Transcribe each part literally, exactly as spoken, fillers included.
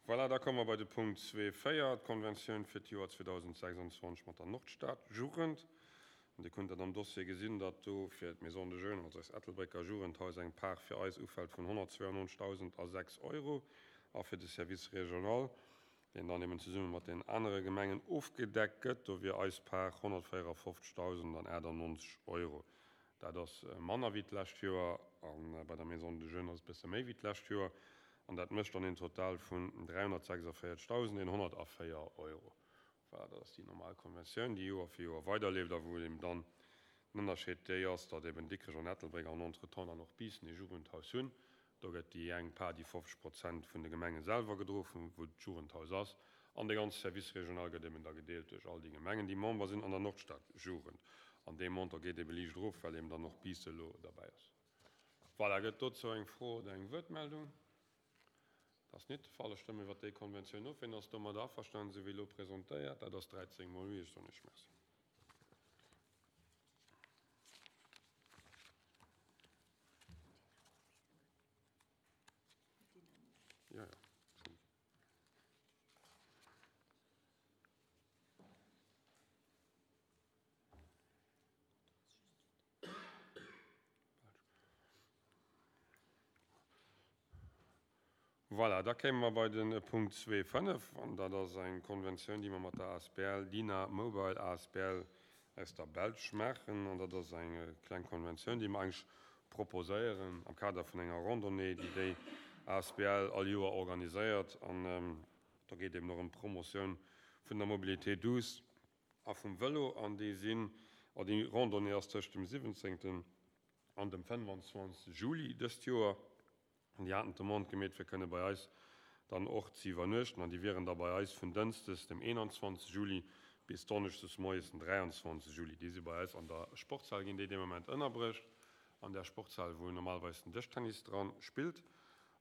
Voilà, da komme mer bei de Punkt zwee véier, d'Konventioun fir d'Joer zweedausendsechsundzwanzeg mat der Nordstad-Jugend. An Dir kënnt dat am Dossier gesinn, datt do fir d'Maison de Jeunes, also eist Ettelbrécker Jugendhaus, eng Part fir eis ufält vun honnertzweiundneunzegdausendasechs Euro a fir de Service régional, deen dann eben zesumme mat den anere Gemengen ofgedeckt gëtt, do wier eis Part honnertvéierefofzegdausendaachtundneunzeg Euro. Dat ass manner wéi d'lescht Joer, a bei der Maison de Jeunes ass et e bësse méi wéi d'lescht Joer, an dat mécht dann een Total vun dräihonnertsechsundvéierzegdausendeenhonnertvéier Euro. Voilà, dat ass déi normal Konventioun, déi Joer fir Joer weiderleeft a wou eben dann den Ënnerscheed déi ass, datt eben Dikrech an Ettelbréck an entretemps dann och Biissen ee Jugendhaus hunn. Do gëtt déi eng Part, déi fofzeg Prozent vun de Gemenge selwer gedroen, wou d'Jugendhaus ass, an de ganze Service régional gëtt eben da gedeelt duerch all déi Gemengen, déi Member sinn an der Nordstad-Jugend. An dee Montant geet ebe liicht erof, well eben dann och Biissen elo derbäi ass. Voilà, gëtt dozou eng Fro oder eng Wuertmeldung? Dat ass net de Fall. Ech stëmme iwwert déi Konventioun of. Wien ass domadder averstanen, esou wéi elo presentéiert? Dat ass dräizéng mol oui. Ech soen Iech Merci. Ja, ja. Voilà, da kéime mer bei de Punkt zwee fënnef, an dat ass eng Konventioun, déi mer mat der A S B L Dina Mobile A S B L aus der Belsch maachen. An dat ass eng kleng Konventioun, déi mer eigentlech proposéieren am Kader vun enger Randonnée, déi déi A S B L all Joer organiséiert. An do geet eben och ëm d'Promotioun vun der Mobilité douce a vum Vëlo. An déi sinn, oh, déi Randonnée ass tëscht dem siwwenzéngten an dem fënnefanzwanzegste Juli dëst Joer. An déi haten d'Demande gemeet, fir kënne bei eis dann och ze iwwernuechten. An déi wieren da bei eis vun Dënschdes, dem eenanzwanzegste Juli, bis Donneschdes moies, den dräianzwanzegste Juli. Déi si bei eis an der Sportshal, ginn déi dee Moment ënnerbruecht, an där Sportshal, wou normalerweis den Dëschtennis dran spillt.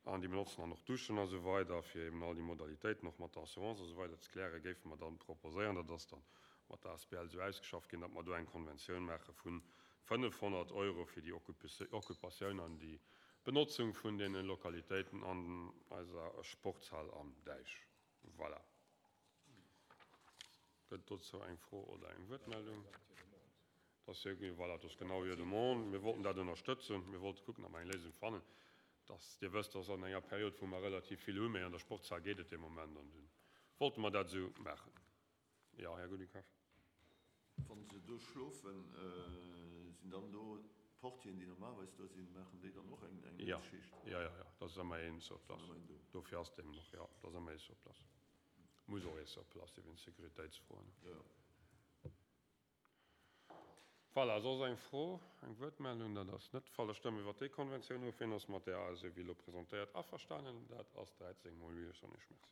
An déi benotzen dann och Duschen a sou weider, fir eben all déi Modalitéiten och mat der Assurance a sou weider ze klären, géife mer dann proposéieren. Dat ass dann mat der A S B L esou ausgeschafft ginn, datt mer do eng Konventioun maache vun fënnefhonnert Euro fir déi Occupatioun an déi Benotzung vun den Lokalitéiten an eiser Sportshal am Däich. Voilà. Gëtt dozou eng Fro oder eng Wuertmeldung? Das ist ja, voilà, das ist genau hier Demande. Mir wollten dat ënnerstëtzen. Mir wollten kucken, ob mer eng Léisung fannen. Dass, Dir wësst, dass an enger Period, wou mer relativ vill hunn, mee an der Sportshal geet et de Moment, an dunn wollte mer dat esou maachen. Ja, Här Goudikaf. Wann se do schlofen, sinn dann do d'Portieren, déi normalerweis do sinn, maachen déi dann och eng, eng Ja. Schicht? Ja, ja, ja, dat ass ëmmer een sur place. Ëmmer een do. Dofir ass deem och, ja, dat ass ëmmer ee sur place. Muss och ee sur place sinn, wéinst Sécuritéitsfroen. Ja. Voilà, soss eng Fro, eng Wuertmeldung? Dat ass net de Fall. Da stëmme mer iwwer déi Konventioun of. Wien ass mat där A S E wéi elo presentéiert averstanen? Dat ass dräizéng mol oui. Ech soen Iech Merci.